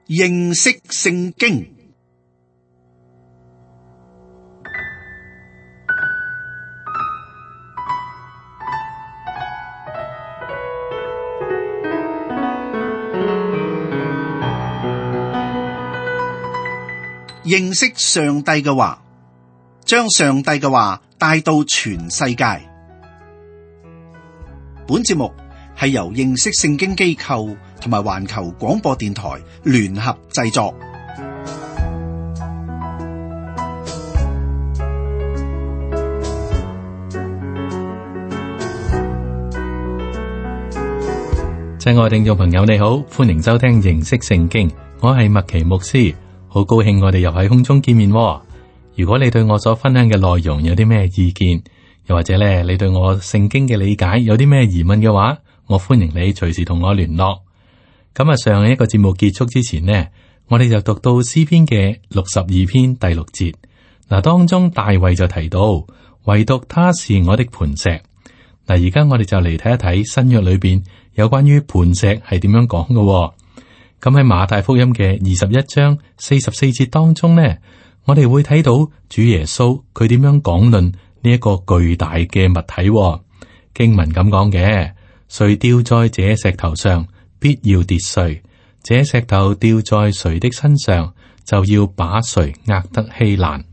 認識聖經。認識上帝嘅話，將上帝嘅話帶到全世界。本節目係由認識聖經機構同埋環球廣播電台聯合製作。親愛聽眾朋友，你好，歡迎收聽認識聖經，我係麥奇牧師。好高興我哋又喺空中見面喎。如果你對我所分享嘅內容有啲咩意見，又或者咧你對我聖經嘅理解有啲咩疑問嘅話，我歡迎你隨時同我聯絡。咁啊，上一個節目結束之前呢，我哋就讀到詩篇嘅62篇第6節。嗱，當中大衛就提到，唯獨他是我的磐石。嗱，而家我哋就嚟睇一睇新約裏邊有關於磐石係點樣講嘅喎。咁喺馬太福音嘅21章44節當中呢，我哋會睇到主耶穌佢點樣講論呢一個巨大嘅物體喎。經文咁講嘅，誰掉在這石頭上，必要跌碎；這石頭掉在誰的身上，就要把誰壓得稀爛。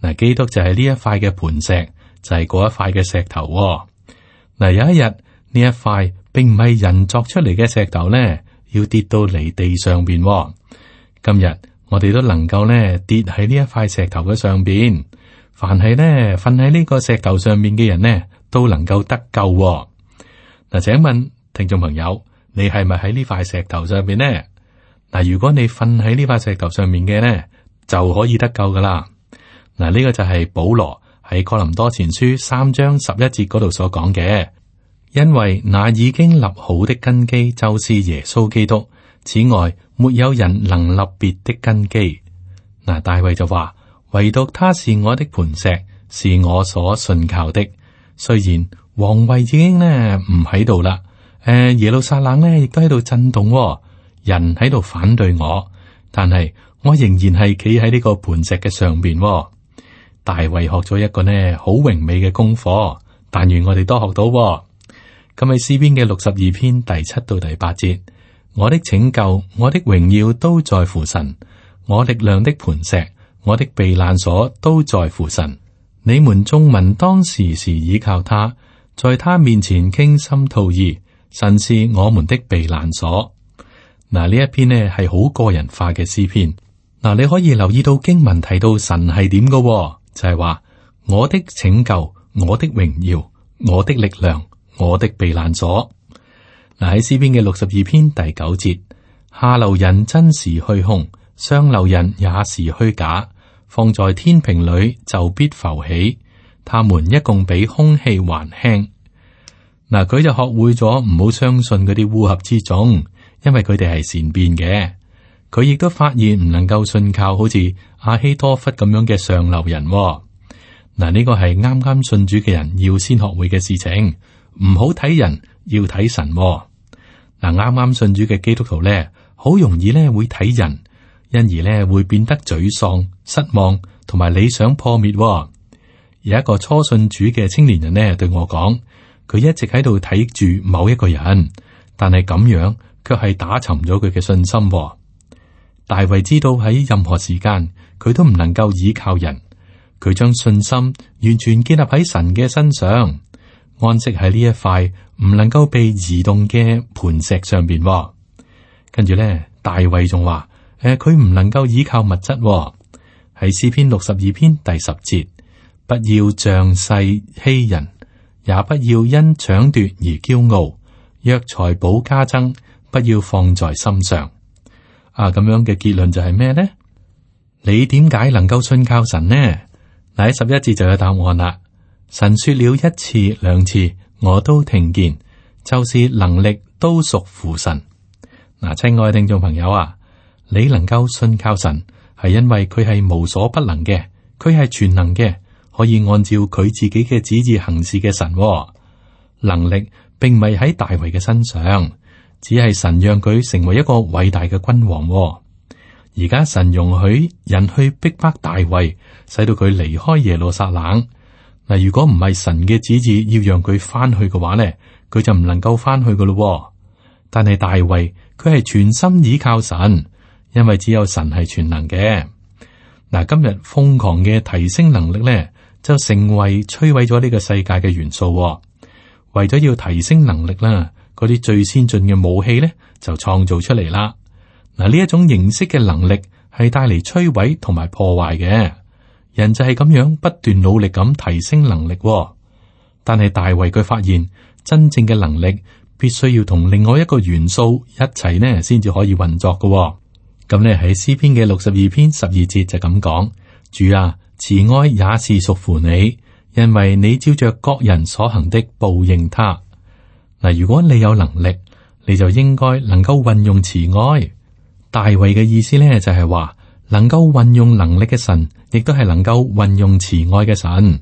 嗱，基督就係呢一塊嘅磐石，就係嗰一塊嘅石頭喎。嗱，有一日呢一塊並唔係人作出嚟嘅石頭呢，要跌到嚟地上邊喎。今日我哋都能夠呢跌喺呢一塊石頭嘅上邊，凡係呢瞓喺呢個石頭上面嘅人呢，都能夠得救喎。嗱，請問聽眾朋友，你係咪喺呢塊石頭上邊呢？嗱，如果你瞓喺呢塊石頭上面嘅呢，就可以得救噶啦。嗱，呢個就係保羅喺哥林多前書3章11節嗰度所講嘅。因為那已經立好的根基就是耶穌基督，此外沒有人能立別的根基。嗱，大衛就話，唯獨他是我的磐石，是我所信靠的。雖然王位已經呢唔喺度啦，耶路撒冷呢亦都喺度震動，人喺度反對我，但係我仍然係企喺呢個磐石嘅上邊。大衛學咗一個呢好榮美嘅功課，但願我哋都學到。咁喺詩篇嘅62篇第7到第8節，我的拯救，我的榮耀都在乎神，我力量的磐石，我的避難所都在乎神。你們眾民當時時倚靠他，在他面前傾心吐意，神是我們的避難所。嗱，呢一篇呢係好個人化嘅詩篇。嗱，你可以留意到經文提到神係點嘅，就係話我的拯救，我的榮耀，我的力量，我的避難所。嗱，喺詩篇嘅62篇第9節，下流人真是虛空，上流人也是虛假，放在天平裏就必浮起，他們一共比空氣還輕。嗱，佢就學會咗唔好相信嗰啲烏合之眾，因為佢哋係善變嘅。佢亦都發現唔能夠信靠好似亞希多弗咁樣嘅上流人。嗱，呢個係啱啱信主嘅人要先學會嘅事情。唔好睇人，要睇神。嗱，啱啱信主嘅基督徒咧，好容易咧會睇人，因而咧會變得沮喪、失望，同埋理想破滅。有一個初信主嘅青年人呢對我講，佢一直喺度睇住某一個人，但係咁樣卻係打沉咗佢嘅信心。大衛知道喺任何時間，佢都唔能夠依靠人，佢將信心完全建立喺神嘅身上。安息喺呢一塊唔能夠被移動嘅磐石上邊。跟住咧，大衛仲話：佢唔能夠依靠物質。喺詩篇62篇第10節，不要仗勢欺人，也不要因搶奪而驕傲。若財寶加增，不要放在心上。咁樣嘅結論就係咩呢？你點解能夠信靠神呢？嗱，喺11節就有答案啦。神說了1次2次，我都聽見，就是能力都屬乎神。嗱，親愛的聽眾朋友啊，你能夠信靠神，係因為佢係無所不能嘅，佢係全能嘅，可以按照佢自己嘅旨意行事嘅神。能力並唔係喺大衛嘅身上，只係神讓佢成為一個偉大嘅君王。而家神容許人去逼迫大衛，使到佢離開耶路撒冷。嗱，如果唔係神嘅旨意要讓佢翻去嘅話咧，佢就唔能夠翻去噶咯。但係大衛佢係全心倚靠神，因為只有神係全能嘅。嗱，今日瘋狂嘅提升能力咧，就成為摧毀咗呢個世界嘅元素。為咗要提升能力啦，嗰啲最先進嘅武器咧就創造出嚟啦。嗱，呢一種形式嘅能力係帶嚟摧毀同埋破壞嘅。人就係咁樣不斷努力咁提升能力，但係大衛佢發現真正嘅能力必須要同另外一個元素一齊呢先至可以運作嘅。咁呢喺詩篇嘅62篇12節就咁講：主啊，慈愛也是屬乎你，因為你照着各人所行的報應他。嗱，如果你有能力，你就應該能夠運用慈愛。大衛嘅意思呢就係話，能夠運用能力嘅神，亦都係能夠運用慈愛嘅神。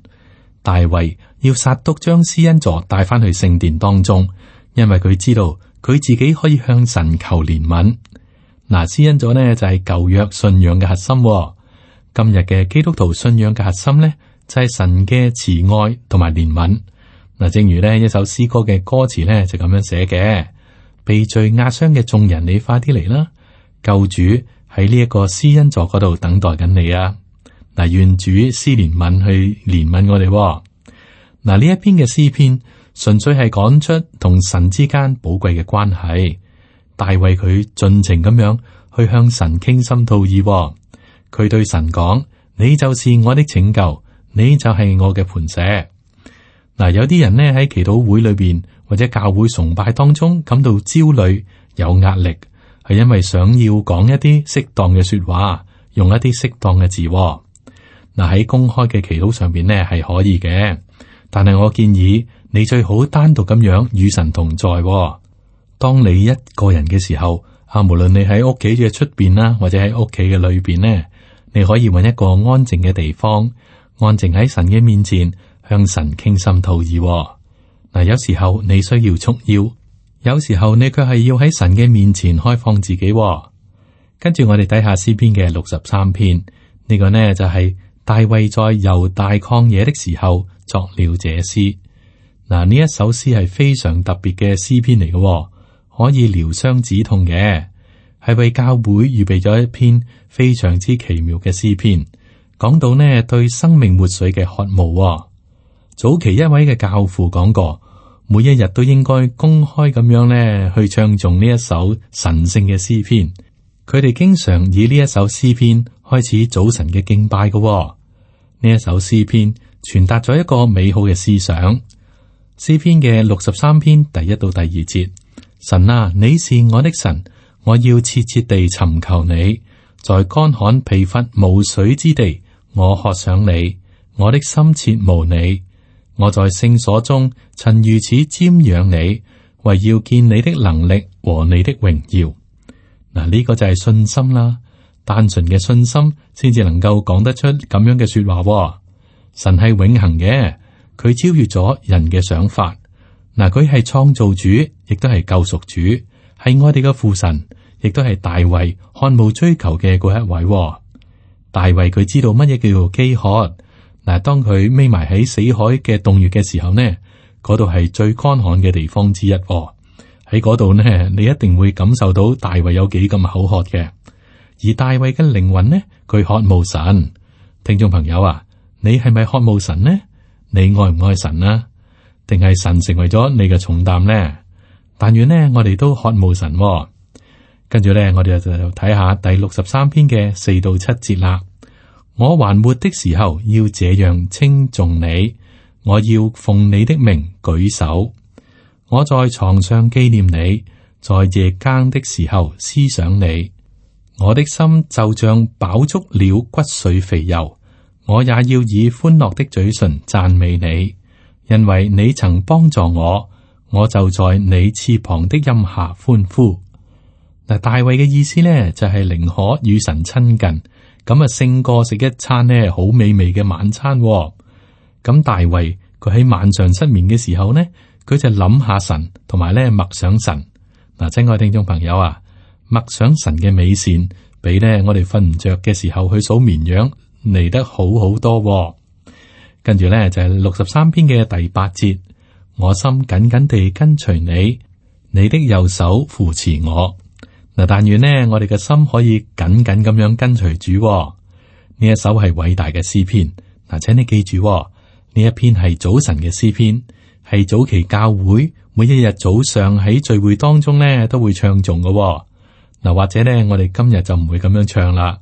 大衛要撒督將施恩座帶翻去聖殿當中，因為佢知道佢自己可以向神求憐憫。嗱，施恩座呢就係舊約信仰嘅核心。今日嘅基督徒信仰嘅核心呢，就係神嘅慈愛同埋憐憫。嗱，正如呢一首詩歌嘅歌詞呢就咁樣寫嘅：被罪壓傷嘅眾人，你快啲嚟啦！救主喺呢一個施恩座嗰度等待緊你啊！嗱，願主施憐憫去憐憫我哋。嗱，呢一篇嘅詩篇純粹係講出同神之間寶貴嘅關係。大衛佢盡情咁樣去向神傾心吐意。佢對神講：你就是我的拯救，你就係我嘅磐石。嗱，有啲人呢喺祈禱會裏邊或者教會崇拜當中感到焦慮、有壓力，係因為想要講一啲適當嘅說話，用一啲適當嘅字。嗱，喺公開嘅祈禱上邊呢係可以嘅，但係我建議你最好單獨咁樣與神同在。當你一個人嘅時候，無論你喺屋企嘅出邊啦，或者喺屋企嘅裏邊呢，你可以揾一個安靜嘅地方，安靜喺神嘅面前，向神傾心吐意。嗱，有時候你需要束腰，有時候你卻係要喺神嘅面前開放自己。跟住我哋睇下詩篇嘅63篇，呢個呢就係大衛在猶大曠野的時候作了這詩。嗱，呢一首詩係非常特別嘅詩篇嚟嘅，可以療傷止痛嘅，係為教會預備咗一篇非常之奇妙嘅詩篇，講到呢對生命活水嘅渴慕。早期一位嘅教父講過，每一日都應該公開咁樣呢去唱頌呢一首神聖嘅詩篇。佢哋經常以呢一首詩篇開始早晨嘅敬拜嘅。呢一首詩篇傳達咗一個美好嘅思想。詩篇嘅63篇第1到第2節：神啊，你是我的神，我要切切地尋求你，在乾旱疲乏無水之地，我渴想你，我的心切慕你。我在聖所中曾如此瞻仰你，為要見你的能力和你的榮耀。嗱，呢個就係信心啦，單純嘅信心先至能夠講得出咁樣嘅說話。神係永恆嘅，佢超越咗人嘅想法。嗱，佢係創造主，亦都係救贖主，係我哋嘅父神，亦都係大衛渴慕追求嘅嗰一位。大衛佢知道乜嘢叫做飢渴。嗱，當佢匿埋喺死海嘅洞穴嘅時候呢，嗰度係最乾旱嘅地方之一。喺嗰度呢，你一定會感受到大衛有幾咁口渴嘅。而大衛嘅靈魂呢，佢渴慕神。聽眾朋友啊，你係咪渴慕神呢？你愛唔愛神啊？定係神成為咗你嘅重擔呢？但願呢，我哋都渴慕神。跟住呢，我哋就睇下第63篇嘅4到7節啦。我還活的時候，要這樣稱頌你，我要奉你的名舉手。我在床上紀念你，在夜更的時候思想你。我的心就像飽足了骨髓肥油，我也要以歡樂的嘴唇讚美你，因為你曾幫助我，我就在你翅膀的蔭下歡呼。嗱，大衛嘅意思呢，就係寧可與神親近。咁啊，勝過食一餐呢好美味嘅晚餐。咁大衛佢喺晚上失眠嘅時候呢，佢就諗下神，同埋咧默想神。嗱，親愛聽眾朋友啊，默想神嘅美善，比呢我哋瞓唔着嘅時候去數綿羊嚟得好好多喎。跟住呢，就係63篇嘅第8節，我心緊緊地跟隨你，你的右手扶持我。嗱，但願呢我哋嘅心可以緊緊咁樣跟隨主喎。呢一首係偉大嘅詩篇。嗱，請你記住喎，呢一篇係早晨嘅詩篇，係早期教會每一日早上喺聚會當中呢都會唱誦嘅喎。嗱，或者呢我哋今日就唔會咁樣唱啦。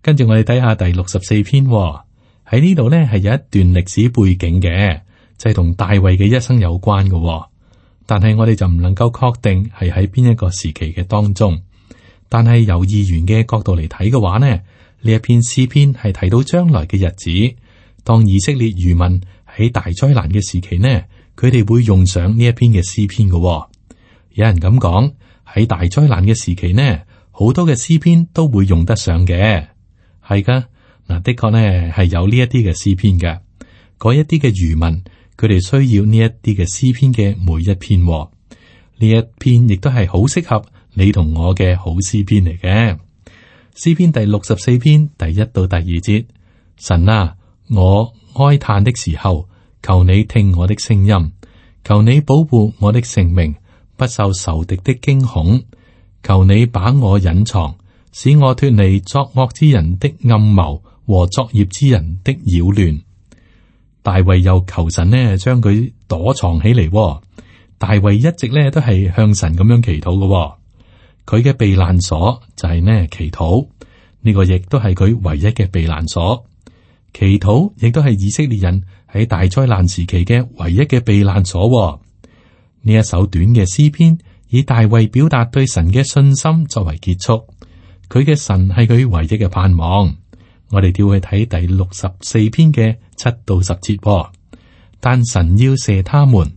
跟住我哋睇下第64篇喎。喺呢度呢係有一段歷史背景嘅，就係同大衛嘅一生有關嘅喎。但係我哋就唔能夠確定係喺邊一個時期嘅當中。但係由議員嘅角度嚟睇嘅話呢，呢一篇詩篇係提到將來嘅日子，當以色列餘民喺大災難嘅時期呢，佢哋會用上呢一篇嘅詩篇嘅喎。有人咁講，喺大災難嘅時期呢，好多嘅詩篇都會用得上嘅，係噶。嗱，的確呢係有呢一啲嘅詩篇嘅，嗰一啲嘅餘民，佢哋需要呢一啲嘅詩篇嘅每一篇，呢一篇亦都係好適合你同我嘅好詩篇嚟嘅。詩篇第64篇第1到第2節，神啊，我哀嘆的時候，求你聽我的聲音，求你保護我的性命，不受仇敵的驚恐，求你把我隱藏，使我脫離作惡之人的暗謀和作孽之人的擾亂。大衛又求神呢將佢躲藏起嚟。大衛一直呢都係向神咁樣祈禱嘅。佢嘅避難所就係呢祈禱，呢個亦都係佢唯一嘅避難所。祈禱亦都係以色列人喺大災難時期嘅唯一嘅避難所。呢一首短嘅詩篇以大衛表達對神嘅信心作為結束，佢嘅神係佢唯一嘅盼望。我哋調去睇第64篇嘅7到10節。但神要射他們，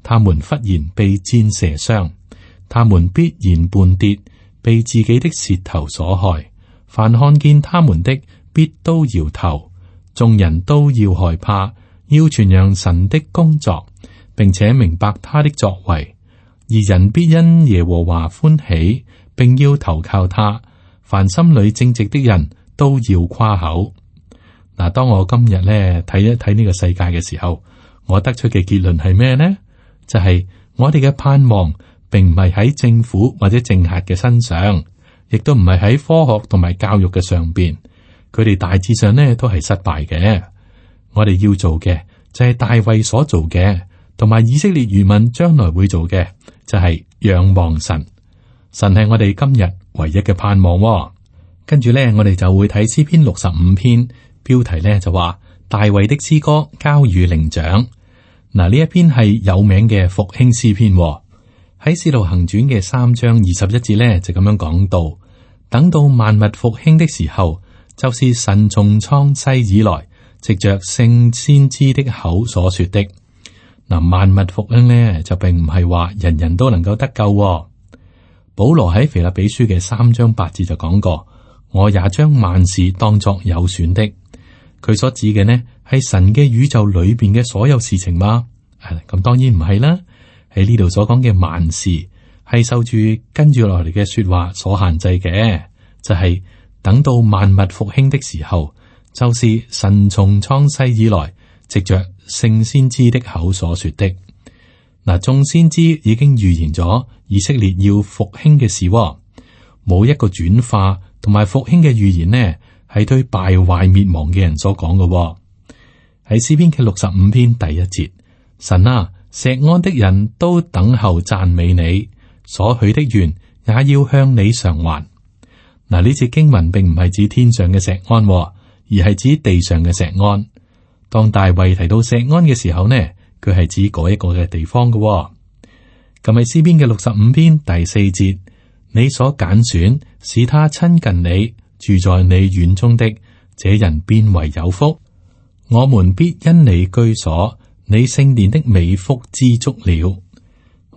他們忽然被箭射傷，他們必然絆跌，被自己的舌頭所害。凡看見他們的，必都搖頭，眾人都要害怕，要傳揚神的工作，並且明白他的作為。而人必因耶和華歡喜，並要投靠他。凡心裏正直的人都要誇口。嗱，當我今日咧睇一睇呢個世界嘅時候，我得出嘅結論係咩呢？就係我哋嘅盼望並唔係喺政府或者政客嘅身上，亦都唔係喺科學同埋教育嘅上邊。佢哋大致上呢都係失敗嘅。我哋要做嘅就係大衛所做嘅，同埋以色列餘民將來會做嘅，就係仰望神。神係我哋今日唯一嘅盼望。跟住咧，我哋就會睇詩篇65篇，標題咧就話大衛的詩歌交與伶長。嗱，呢一篇係有名嘅復興詩篇。喺使徒行傳嘅3章21節咧就咁樣講到，等到萬物復興的時候，就是神從創世以來藉着聖先知的口所說的。嗱，萬物復興咧就並唔係話人人都能夠得救。保羅喺腓立比書嘅3章8節就講過，我也將萬事當作有損的。佢所指嘅呢係神嘅宇宙裏邊嘅所有事情嗎？咁當然唔係啦。喺呢度所講嘅萬事係受住跟住落嚟嘅說話所限制嘅，就係等到萬物復興的時候，就是神從創世以來藉着聖先知的口所說的。嗱，眾先知已經預言咗以色列要復興嘅事，冇一個轉化同埋復興嘅預言呢，係對敗壞滅亡嘅人所講嘅。喺詩篇嘅65篇第1節，神啊，錫安的人都等候讚美你，所許的願也要向你償還。嗱，呢節經文並唔係指天上嘅錫安，而係指地上嘅錫安。當大衛提到錫安嘅時候呢，佢係指嗰一個嘅地方嘅。咁喺詩篇嘅65篇第4節，你所揀選使他親近你，住在你院中的，這人便為有福。我們必因你居所，你聖殿的美福知足了。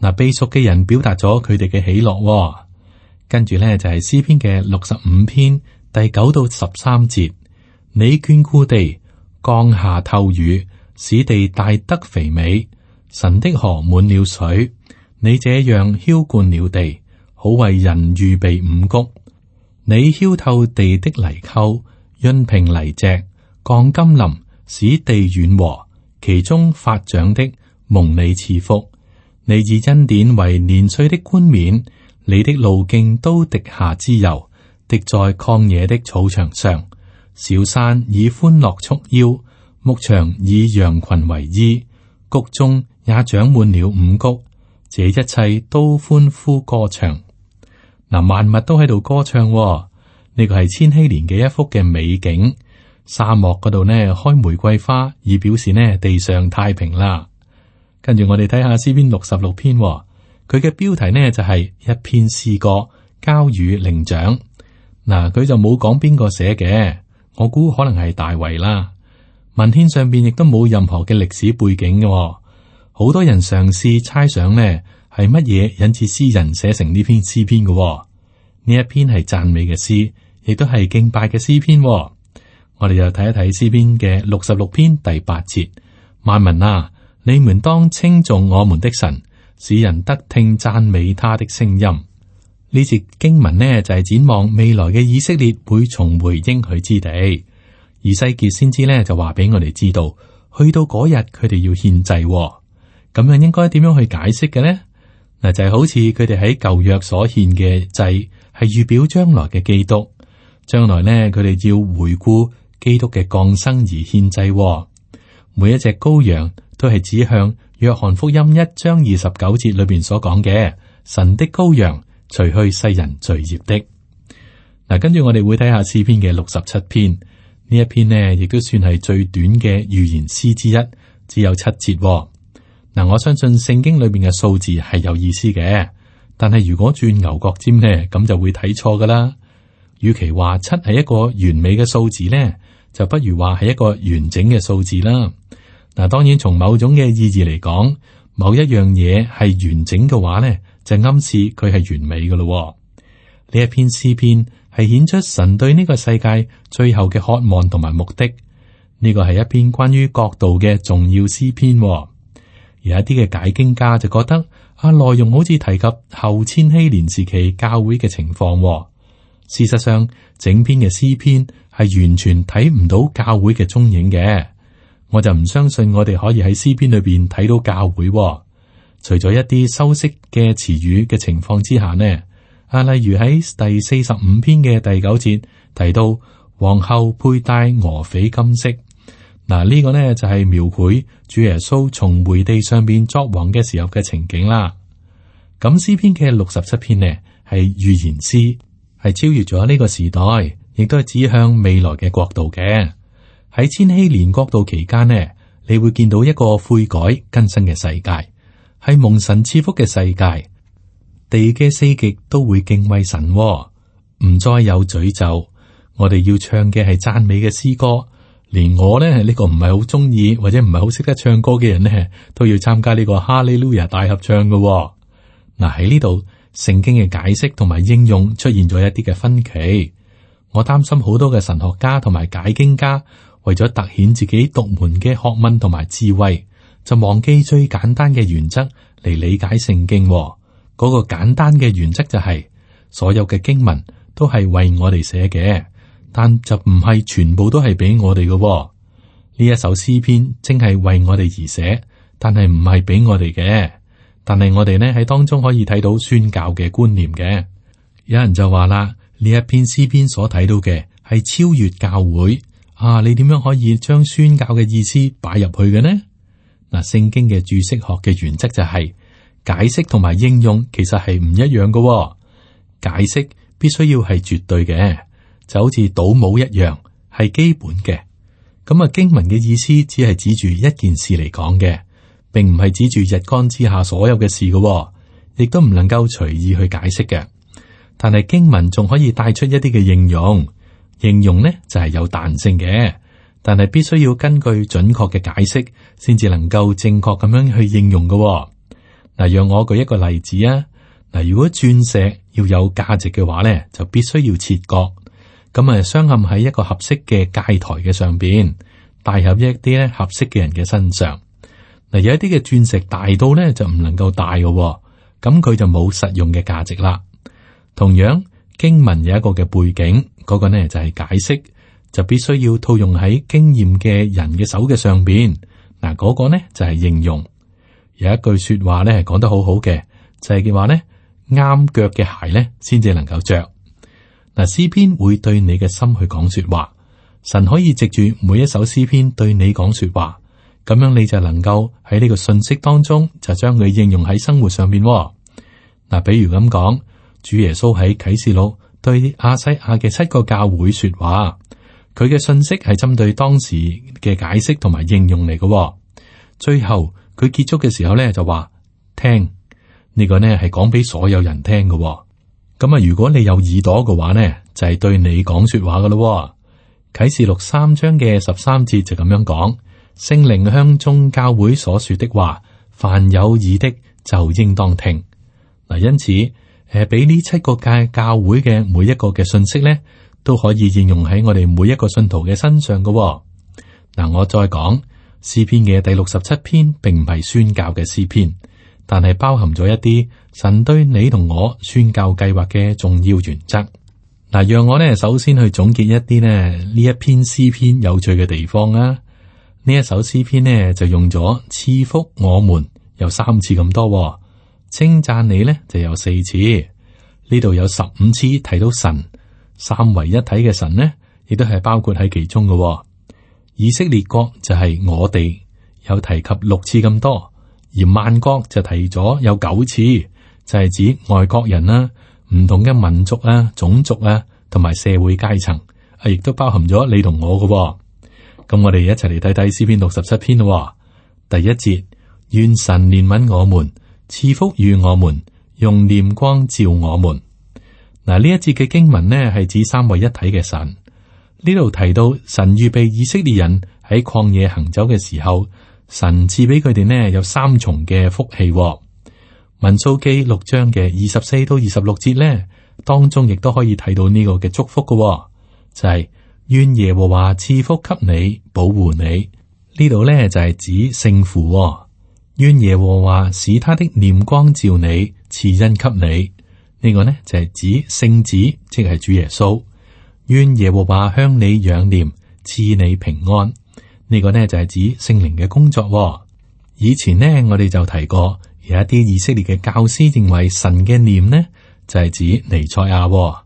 嗱，被贖嘅人表達咗佢哋嘅喜樂。跟住咧就係詩篇嘅65篇第9到13節，你眷顧地，降下透雨，使地大得肥美。神的河滿了水，你這樣澆灌了地，好為人預備五穀。你澆透地的泥溝，潤平泥脊，降甘霖，使地軟和，其中發長的蒙你賜福。你以恩典為年歲的冠冕，你的路徑都滴下脂油，滴在曠野的草場上。小山以歡樂束腰，牧場以羊群為衣，谷中也長滿了五谷，這一切都歡呼歌唱。嗱，萬物都喺度歌唱喎。呢個係千禧年嘅一幅嘅美景。沙漠嗰度呢開玫瑰花，以表示呢地上太平啦。跟住我哋睇下詩篇66篇喎，佢嘅標題呢就係一篇詩歌交與伶長。嗱，佢就冇講邊個寫嘅，我估可能係大衛啦。文獻上邊亦都冇任何嘅歷史背景嘅喎。好多人嘗試猜想呢係乜嘢引致詩人寫成呢篇詩篇嘅喎。呢一篇係讚美嘅詩，亦都係敬拜嘅詩篇喎。我哋就睇一睇詩篇嘅66篇第8節，萬民啊，你們當稱頌我們的神，使人得聽讚美他的聲音。呢節經文呢就係展望未來嘅以色列會重回應許之地。以西結先知呢就話俾我哋知道，去到嗰日佢哋要獻祭喎。咁樣應該點樣去解釋嘅呢？嗱，就係好似佢哋喺舊約所獻嘅祭係預表將來嘅基督，將來呢佢哋要回顧基督嘅降生而獻祭喎。每一隻羔羊都係指向約翰福音1章29節裏邊所講嘅神的羔羊，除去世人罪孽的。嗱，跟住我哋會睇下詩篇嘅67篇，呢一篇呢亦都算係最短嘅預言詩之一，只有7節喎。嗱，我相信聖經裏邊嘅數字係有意思嘅，但係如果轉牛角尖呢，咁就會睇錯噶啦。與其話7係一個完美嘅數字呢，就不如話係一個完整嘅數字啦。嗱，當然從某種嘅意義嚟講，某一樣嘢係完整嘅話呢，就暗示佢係完美噶咯。呢一篇詩篇係顯出神對呢個世界最後嘅渴望同埋目的。呢個係一篇關於國度嘅重要詩篇。有一啲嘅解經家就覺得內容好似提及後千禧年時期教會嘅情況。事實上，整篇嘅詩篇係完全睇唔到教會嘅蹤影嘅。我就唔相信我哋可以喺詩篇裏邊睇到教會。除咗一啲修飾嘅詞語嘅情況之下呢，例如喺第45篇嘅第9節提到皇后佩戴俄斐金飾。嗱，呢個呢就係描繪主耶穌重回地上邊作王嘅時候嘅情景啦。咁詩篇嘅67篇呢係預言詩，係超越咗呢個時代，亦都係指向未來嘅國度嘅。喺千禧年國度期間呢，你會見到一個悔改更新嘅世界，係蒙神賜福嘅世界。地嘅四極都會敬畏神，唔再有詛咒。我哋要唱嘅係讚美嘅詩歌。連我呢個唔係好中意或者唔係好識得唱歌嘅人呢，都要參加呢個哈利路亞大合唱嘅。嗱，喺呢度聖經嘅解釋同埋應用出現咗一啲嘅分歧。我擔心好多嘅神學家同埋解經家為咗凸顯自己獨門嘅學問同埋智慧，就忘記最簡單嘅原則嚟理解聖經。嗰個簡單嘅原則就係所有嘅經文都係為我哋寫嘅。但就唔係全部都係俾我哋嘅。呢一首詩篇正係為我哋而寫，但係唔係俾我哋嘅。但係我哋呢喺當中可以睇到宣教嘅觀念嘅。有人就話啦，呢一篇詩篇所睇到嘅係超越教會啊！你點樣可以將宣教嘅意思擺入去嘅呢？嗱，聖經嘅注釋學嘅原則就係解釋同埋應用其實係唔一樣嘅。解釋必須要係絕對嘅。就好似倒模一樣，係基本嘅。咁啊，經文嘅意思只係指住一件事嚟講嘅，並唔係指住日光之下所有嘅事嘅，亦都唔能夠隨意去解釋嘅。但係經文仲可以帶出一啲嘅應用，應用呢就係有彈性嘅，但係必須要根據準確嘅解釋，先至能夠正確咁樣去應用嘅。嗱，讓我舉一個例子啊。嗱，如果鑽石要有價值嘅話咧，就必須要切割。咁啊，鑲嵌喺一個合適嘅戒台嘅上邊，戴入一啲咧合適嘅人嘅身上。嗱，有一啲嘅鑽石大到咧就唔能夠戴嘅，咁佢就冇實用嘅價值啦。同樣，經文有一個嘅背景，嗰個呢就係解釋，就必須要套用喺經驗嘅人嘅手嘅上邊。嗱，嗰個呢就係應用。有一句說話呢係講得好好嘅，就係嘅話呢，啱腳嘅鞋呢先至能夠着。嗱，詩篇會對你嘅心去講說話，神可以藉住每一首詩篇對你講說話，咁樣你就能夠喺呢個信息當中就將佢應用喺生活上邊。嗱，比如咁講，主耶穌喺啟示錄對亞西亞嘅7個教會說話，佢嘅信息係針對當時嘅解釋同埋應用嚟嘅。最後佢結束嘅時候咧就話聽，呢個呢係講俾所有人聽嘅。咁啊，如果你有耳朵嘅話呢，就係對你講說話嘅咯。啟示錄3章嘅13節就咁樣講，聖靈向眾教會所說的話，凡有耳的就應當聽。嗱，因此俾呢7個教會嘅每一個嘅信息呢，都可以應用喺我哋每一個信徒嘅身上嘅。嗱，我再講詩篇嘅第67篇，並唔係宣教嘅詩篇，但係包含咗一啲神對你同我宣教計劃嘅重要原則。嗱，讓我呢首先去總結一啲呢一篇詩篇有趣嘅地方啊。呢一首詩篇呢就用咗賜福我們有3次咁多，稱讚你呢就有4次。呢度有15次提到神，三位一體嘅神呢，亦都係包括喺其中嘅。以色列國就係我哋，有提及6次咁多，而萬國就提咗有9次，就係指外國人啦、唔同嘅民族啊、種族啊，同埋社會階層，亦都包含咗你同我嘅。咁我哋一齊嚟睇睇詩篇67篇咯。第1節，願神憐憫我們，賜福與我們，用臉光照我們。嗱，呢一節嘅經文呢係指三位一體嘅神。呢度提到神預備以色列人喺曠野行走嘅時候，神賜俾佢哋呢有3重嘅福氣。民數記6章嘅24到26節呢，當中亦都可以睇到呢個嘅祝福嘅，就係願耶和華賜福給你，保護你。呢度呢就係指聖父，願耶和華使他的臉光照你，賜恩給你。呢個呢就係指聖子，即係主耶穌。願耶和華向你仰臉，賜你平安。呢個呢就係指聖靈嘅工作。以前呢我哋就提過，有一啲以色列嘅教師認為神嘅臉呢就係指彌賽亞，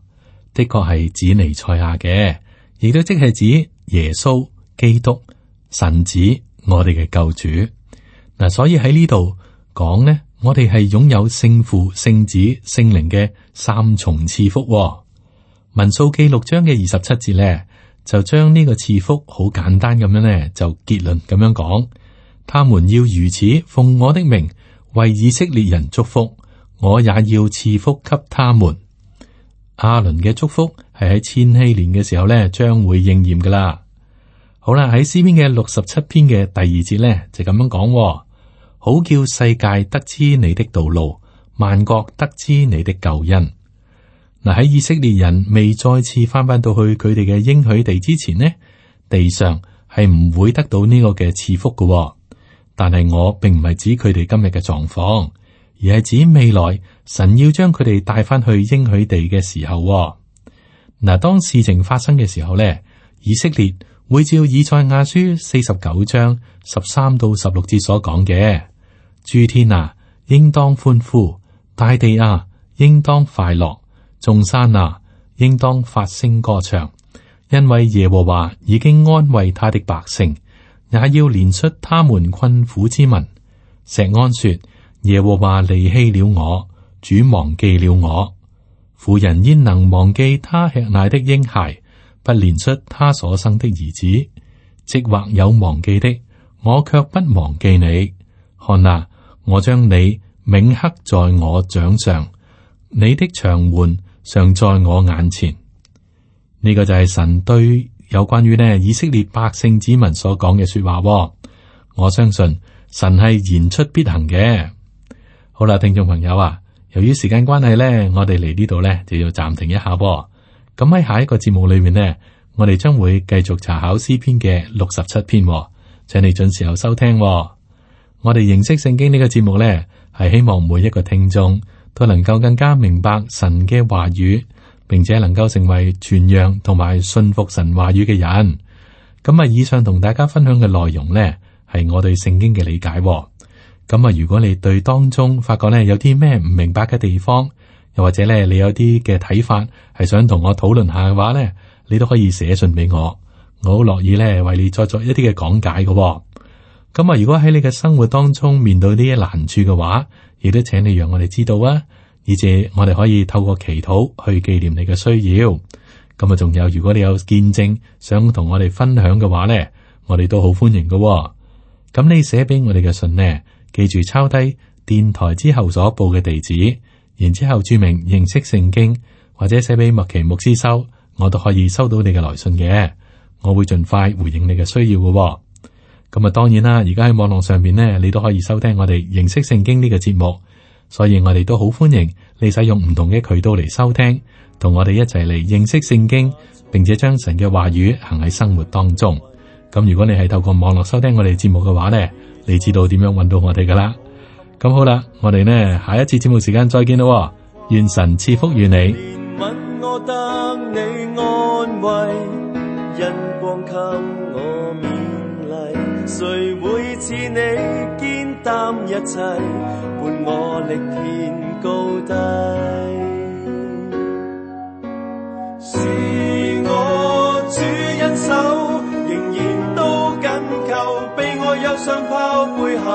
的確係指彌賽亞嘅，亦都即係指耶穌基督神子，我哋嘅救主。嗱，所以喺呢度講呢，我哋係擁有聖父、聖子、聖靈嘅3重賜福。民數記6章嘅27節咧，就將呢個賜福好簡單咁樣咧，就結論咁樣講，他們要如此奉我的名為以色列人祝福，我也要賜福給他們。亞倫嘅祝福係喺千禧年嘅時候咧，將會應驗噶啦。好啦，喺詩篇嘅67篇嘅第2節咧，就咁樣講，好叫世界得知你的道路，萬國得知你的救恩。嗱，喺以色列人未再次翻到去佢哋嘅應許地之前呢，地上係唔會得到呢個嘅賜福嘅。但係我並唔係指佢哋今日嘅狀況，而係指未來神要將佢哋帶翻去應許地嘅時候。嗱，當事情發生嘅時候呢，以色列會照以賽亞書49章13到16節所講嘅，諸天啊，應當歡呼；大地啊，應當快樂。眾山啊，應當發聲歌唱，因為耶和華已經安慰他的百姓，也要憐恤他們困苦之民。錫安說：耶和華離棄了我，主忘記了我。婦人焉能忘記他吃奶的嬰孩，不憐恤他所生的兒子？即或有忘記的，我卻不忘記你。看啊，我將你銘刻在我掌上，你的牆垣常在我眼前。呢個就係神對有關於呢以色列百姓子民所講嘅說話。我相信神係言出必行嘅。好啦，聽眾朋友啊，由於時間關係呢，我哋嚟呢度呢就要暫停一下。咁喺下一個節目裏面呢，我哋將會繼續查考詩篇嘅67篇，請你準時候收聽。我哋認識聖經呢個節目呢，係希望每一個聽眾都能夠更加明白神嘅話語，並且能夠成為傳揚同埋信服神話語嘅人。咁啊，以上同大家分享嘅內容呢，係我對聖經嘅理解。咁啊，如果你對當中發覺呢有啲咩唔明白嘅地方，又或者咧你有啲嘅睇法係想同我討論下嘅話呢，你都可以寫信俾我，我好樂意咧為你再作一啲嘅講解嘅。咁啊，如果喺你嘅生活當中面對呢啲難處嘅話，亦都請你讓我哋知道啊，以至我哋可以透過祈禱去紀念你嘅需要。咁啊，仲有如果你有見證想同我哋分享嘅話呢，我哋都好歡迎嘅。咁你寫俾我哋嘅信呢，記住抄低電台之後所報嘅地址，然之後注明認識聖經，或者寫俾麥奇牧師收，我都可以收到你嘅來信嘅。我會盡快回應你嘅需要嘅。咁啊，當然啦，而家喺網絡上面呢，你都可以收聽我哋認識聖經呢個節目，所以我哋都好歡迎你使用唔同嘅渠道嚟收聽，同我哋一齊嚟認識聖經，並且將神嘅話語行喺生活當中。咁如果你係透過網絡收聽我哋節目嘅話呢，你知道點樣揾到我哋噶啦。咁好啦，我哋呢下一次節目時間再見咯。願神賜福於你。憐憫我得你安慰，因光給我勉勵，誰會似你肩擔一切，伴我力遍高低。是我主恩手，仍然都緊扣，被我憂傷拋背後，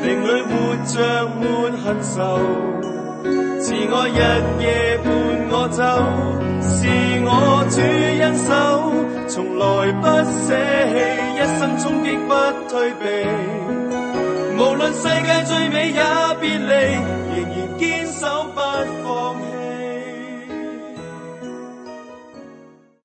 靈裡活着沒恨愁，慈愛日夜伴我走，是我主恩手，從來不捨棄，一生衝擊不退避，無論世界最美也別離，仍然